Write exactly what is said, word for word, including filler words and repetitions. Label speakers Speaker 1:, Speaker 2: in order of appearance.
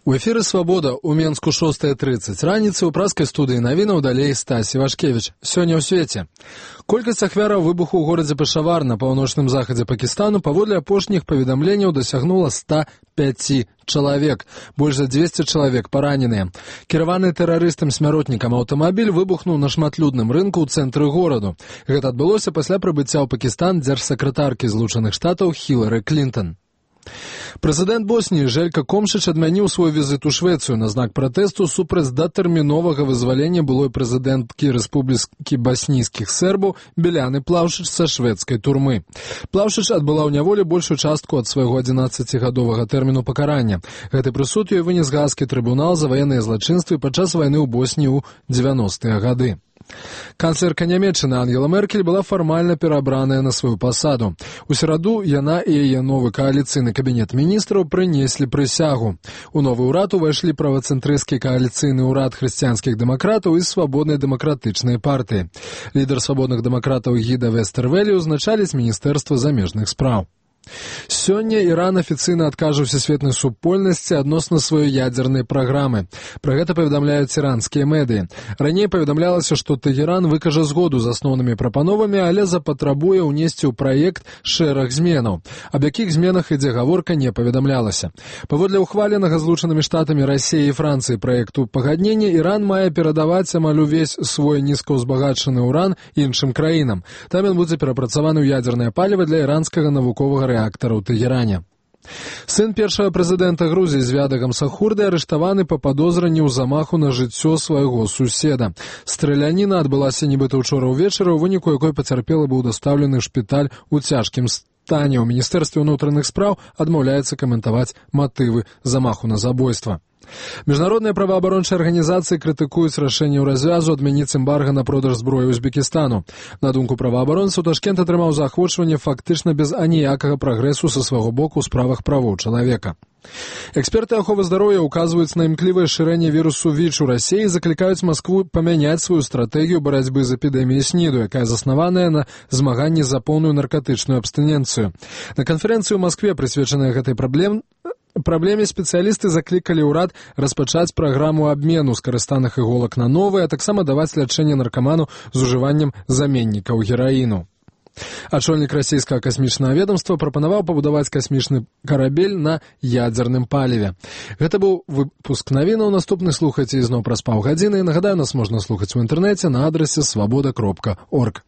Speaker 1: У эфіры «Свабода» у Менску шостая трыццаць раніцы ў праскай студыі навінаў далей Стасі Вашкевіч. Сёння ў свеце. Колькасць ахвяраў выбуху ў горадзе Пешавар на паўночным захадзе Пакістану паводле апошніх паведамленняў дасягнула ста пяць чалавек. Больш за дзвесце чалавек параненыя. Кіраваны тэрарыстам смяротнікам аўтамабіль выбухнуў на шматлюдным рынку ў цэнтры гораду. Гэта адбылося пасля прыбыцця ў Пакістан дзяржсакратаркі Злучаных Штатаў Хілары Клінтон. Прэзідэнт Босніі Желька Комшыч адмяніў свой візіт у Швецыю на знак пратэсту супраць датэрміновага вызвалення былой прэзідэнткі Рэспублікі баснійскіх сербаў Беляны Плаўшыч са шведскай турмы. Плаўшыч адбыла ў няволі большую частку ад свайго адзінаццацігадовага тэрміну пакарання. Гэты прысуд ёй вынес Гааскі трыбунал за ваенныя злачынствы падчас вайны ў Босніі ў дзевяностыя гады. Канцлерка Нямецчыны Ангела Меркель была фармальна перабраная на сваю пасаду. У сераду яна і яе новы кааліцыйны кабінет міністраў прынеслі прысягу. У новы ўрад увайшлі правацэнтрысцкі кааліцыйны ўрад хрысціянскіх дэмакратаў і свабоднай дэмакратычнай партыі. Лідар свабодных дэмакратаў Гіда Вестэрвелі ўзначаліць міністэрства замежных спраў. Сёння Іран афіцыйна адкажа сусветнай супольнасці адносна сваёй ядзернай праграмы. Пра гэта паведамляюць іранскія медыі. Раней паведамлялася, што Тэгеран выкажа згоду з асноўнымі прапановамі, але запатрабуе ўнесці ў праект шэраг зменаў. Аб якіх зменах ідзе гаворка, не паведамлялася. Паводле ўхваленага Злучанымі Штатамі Расіі і Францыі праекту пагаднення, Іран мае перадаваць амаль увесь свой нізкаўзбагачаны ўран іншым краінам. Там ён будзе перапрацаваны ў ядзернае паліва для іранскага навуковага рэактара ў Тэгеране. Сын першага прэзідэнта Грузіі Звяда Гамсахурды арыштаваны па падозранні ў замаху на жыццё свайго суседа. Страляніна адбылася нібыта ўчора ўвечары, у выніку якой пацярпелы быў дастаўлены ў шпіталь у цяжкім стане. У Міністэрстве ўнутраных спраў адмаўляецца каментаваць матывы замаху на забойства. Міжнародныя праваабарончыя арганізацыі крытыкуюць рашэнне ў развязу адмяніць эмбарга на продаж зброі Узбекістану. На думку праваабаронцаў, Ташкент атрымаў заахвочванне фактычна без аніякага прагрэсу са свайго боку ў справах правоў чалавека. Эксперты аховы здароўя указваюць на імклівае шырэнне вірусу ВІЧ у Расіі і заклікаюць Маскву памяняць сваю стратэгію барацьбы з эпідэміяй СНІДу, якая заснаваная на змаганні за поўную наркатычную абстыненцыю. На канферэнцыі ў Маскве, прысвечанай гэтай праблеме, Праблеме спецыялісты заклікалі ўрад распачаць праграму абмену скарыстаных іголак на новыя, а таксама даваць лячэнне наркаману з ужываннем заменнікаў гераіну. Ачольнік расійскага касмічнага ведомства прапанаваў пабудаваць касмічны карабель на ядзерным паліве. Гэта быў выпуск навінаў. Наступны слухайце ізноў праз паўгадзіны. Нагадаю, нас можна слухаць у інтэрнэце на адрасе свабода кропка орг.